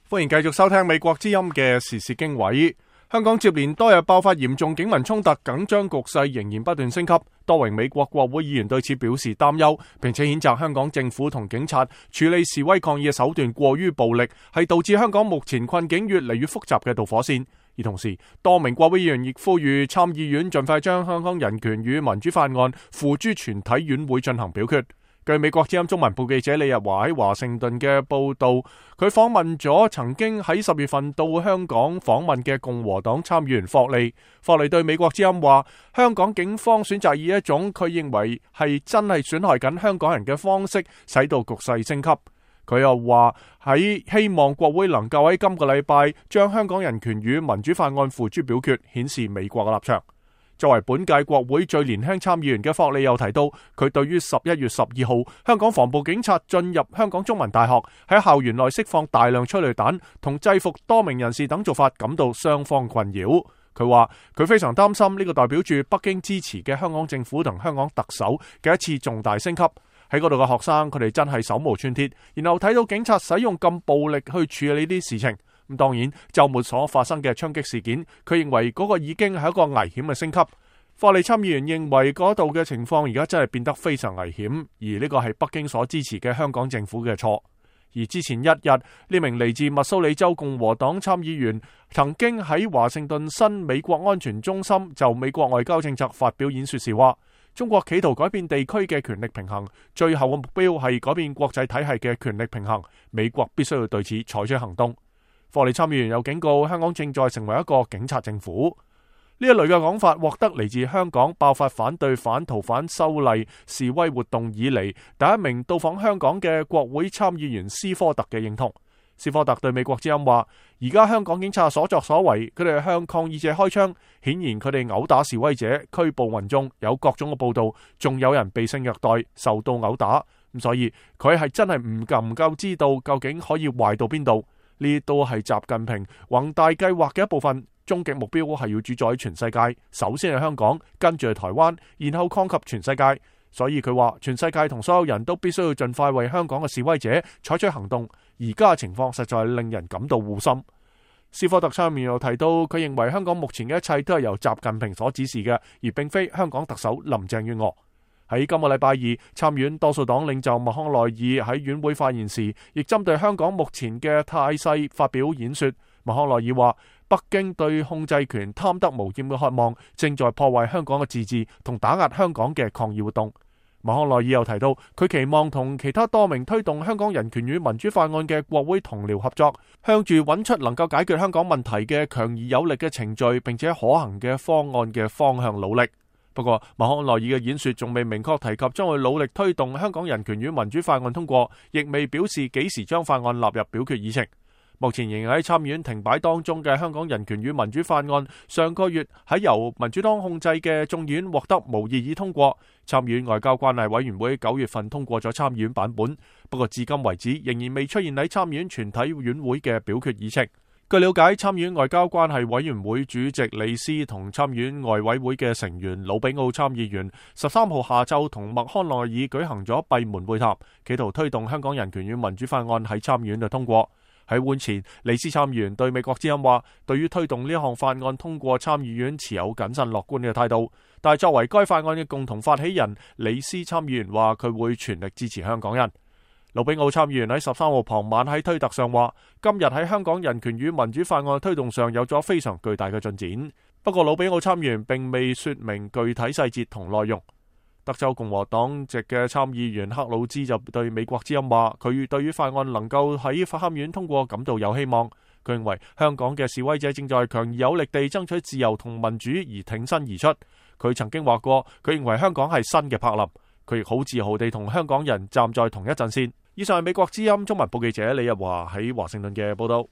歡迎繼續收聽美國之音嘅時事經緯。香港接連多日爆發嚴重警民衝突，緊張局勢仍然不斷升級。多名美國國會議員對此表示擔憂，並且譴責香港政府同警察處理示威抗議嘅手段過於暴力，係導致香港目前困境越嚟越複雜嘅導火線。而同時，多名國會議員亦呼籲參議院盡快將香港人權與民主法案付諸全體院會進行表決。據美國之音中文部記者李日華喺華盛頓嘅報道，佢訪問咗曾經喺10月份到香港訪問嘅共和黨參議員霍利。霍利對美國之音話，香港警方選擇以一種佢認為係真係損害緊香港人嘅方式，使到局勢升級。佢又話喺希望國會能夠喺今個禮拜將香港人權與民主法案付諸表決，顯示美國嘅立場。作為本屆國會最年輕參議員嘅霍利又提到，佢對於11月12號香港防暴警察進入香港中文大學，喺校園內釋放大量催淚彈同制服多名人士等做法感到雙方困擾。佢話佢非常擔心呢個代表住北京支持嘅香港政府同香港特首嘅一次重大升級。喺嗰度嘅學生，佢哋真係手無寸鐵，然後睇到警察使用咁暴力去處理呢啲事情。咁當然，週末所發生嘅槍擊事件，佢認為嗰個已經係一個危險嘅升級。霍利參議員認為嗰度嘅情況而家真係變得非常危險，而呢個係北京所支持嘅香港政府嘅錯。而之前一日，呢名嚟自密蘇里州共和黨參議員曾經喺華盛頓新美國安全中心就美國外交政策發表演說時話，中國企圖改變地區嘅權力平衡，最後嘅目標係改變國際體系嘅權力平衡，美國必須要對此採取行動。霍利參議員又警告，香港正在成為一個警察政府。呢一類嘅講法獲得嚟自香港爆發反對反逃犯修例示威活動以嚟第一名到訪香港嘅國會參議員斯科特嘅認同。斯科特對美國之音話，而家香港警察所作所為，佢哋向抗議者開槍，顯然佢哋毆打示威者、拘捕民眾，有各種嘅報道，仲有人被性虐待、受到毆打。咁所以佢係真係唔夠知道究竟可以壞到邊度。呢都係習近平宏大計劃嘅一部分，終極目標係要主宰全世界，首先係香港，跟住係台灣，然後擴及全世界。所以佢話，全世界同所有人都必須要盡快為香港嘅示威者採取行動。而家嘅情況實在係令人感到護心。斯科特上面又提到，佢認為香港目前嘅一切都係由習近平所指示嘅，而並非香港特首林鄭月娥。喺今個禮拜二，參院多數黨領袖麥康奈爾喺院會發言時，亦針對香港目前嘅態勢發表演說。麥康奈爾話，北京對控制權貪得無厭嘅渴望，正在破壞香港嘅自治同打壓香港嘅抗議活動。麥康奈爾又提到，佢期望同其他多名推動香港人權與民主法案嘅國會同僚合作，向住揾出能夠解決香港問題嘅強而有力嘅程序，並且可行嘅方案嘅方向努力。不過，麥康奈爾嘅演說仲未明確提及將會努力推動香港人權與民主法案通過，亦未表示幾時將法案納入表決議程。目前仍然喺參院停擺當中嘅香港人權與民主法案，上個月喺由民主黨控制嘅眾議院獲得無異議通過。參議院外交關係委員會9月份通過咗參議院版本，不過至今為止仍然未出現喺參議院全體院會嘅表決議程。據了解，參議院外交關係委員會主席李斯同參議院外委會嘅成員魯比奧參議員13號下晝同麥康奈爾舉行咗閉門會談，企圖推動香港人權與民主法案喺參議院就通過。喺會前，李斯參議員對美國之音話，對於推動呢項法案通過參議院持有謹慎樂觀嘅態度，但係作為該法案嘅共同發起人，李斯參議員話佢會全力支持香港人。魯比奧參議員喺13號傍晚喺推特上話，今日喺香港人權與民主法案推動上有咗非常巨大嘅進展。不過魯比奧參議員並未說明具體細節同內容。德州共和黨籍嘅參議員克魯茲就對美國之音話，佢對於法案能夠喺參院通過感到有希望。佢認為香港嘅示威者正在強而有力地爭取自由同民主而挺身而出。佢曾經話過，佢認為香港係新嘅柏林。佢亦好自豪地同香港人站在同一陣線。以上係美國之音中文部記者李日華喺華盛頓嘅報道。